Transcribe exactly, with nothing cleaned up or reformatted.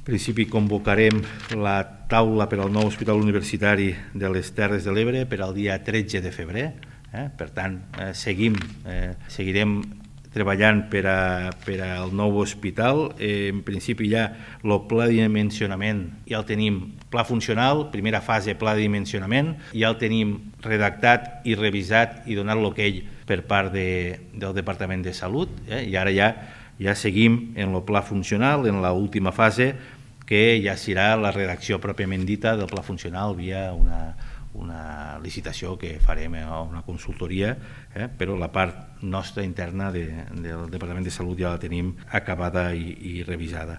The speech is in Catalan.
En principi convocarem la taula per al nou hospital universitari de les Terres de l'Ebre per al dia tretze de febrer. Eh? Per tant, eh, seguim, eh, seguirem treballant per, a, per al nou hospital. Eh, en principi ja el pla de dimensionament ja el tenim, pla funcional, primera fase pla de dimensionament, ja el tenim redactat i revisat i donat l'okey per part de, del Departament de Salut, eh? I ara ja, ja seguim en el pla funcional, en l'última fase, que ja serà la redacció pròpiament dita del pla funcional via una, una licitació que farem a una consultoria, eh? Però la part nostra interna de, del Departament de Salut ja la tenim acabada i, i revisada.